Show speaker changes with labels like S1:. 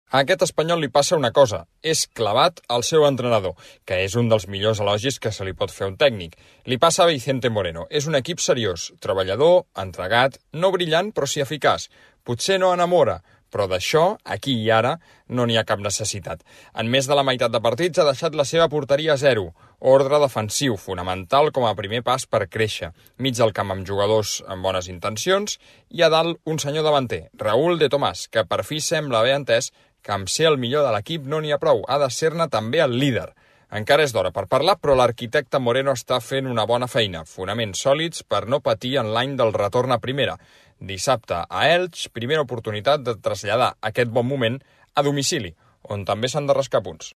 S1: A aquest espanyol li passa una cosa, és clavat al seu entrenador, que és un dels millors elogis que se li pot fer a un tècnic. Li passa a Vicente Moreno, és un equip seriós, treballador, entregat, no brillant però sí eficaç. Potser no enamora, però d'això, aquí i ara, no n'hi ha cap necessitat. En més de la meitat de partits ha deixat la seva porteria a 0, ordre defensiu, fonamental com a primer pas per créixer, mig del camp amb jugadors amb bones intencions, i a dalt un senyor davanter, Raúl de Tomàs, que per fi sembla haver entès que amb ser el millor de l'equip no n'hi ha prou, ha de ser-ne també el líder. Encara és d'hora per parlar, però l'arquitecte Moreno està fent una bona feina, fonaments sòlids per no patir en l'any del retorn a primera. Dissabte a Elx, primera oportunitat de traslladar aquest bon moment a domicili, on també s'han de rascar punts.